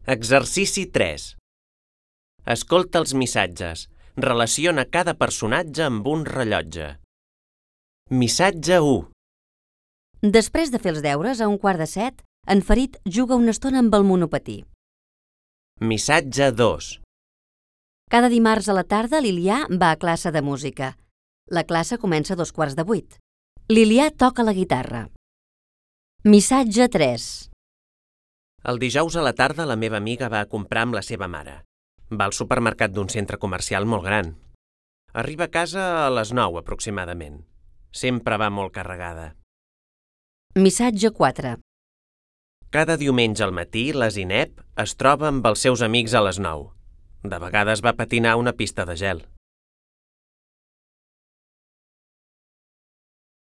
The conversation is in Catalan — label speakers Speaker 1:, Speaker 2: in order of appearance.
Speaker 1: Exercici 3. Escolta els missatges. Relaciona cada personatge amb un rellotge. Missatge 1.
Speaker 2: Després de fer els deures, a 6:15, en Ferit juga una estona amb el monopatí.
Speaker 1: Missatge 2.
Speaker 2: Cada dimarts a la tarda, l'Ilià va a classe de música. La classe comença a 7:15. L'Ilià toca la guitarra. Missatge 3.
Speaker 1: El dijous a la tarda la meva amiga va a comprar amb la seva mare. Va al supermercat d'un centre comercial molt gran. Arriba a casa a les 9 aproximadament. Sempre va molt carregada.
Speaker 2: Missatge 4.
Speaker 1: Cada diumenge al matí la Zineb es troba amb els seus amics a les 9. De vegades va patinar a una pista de gel.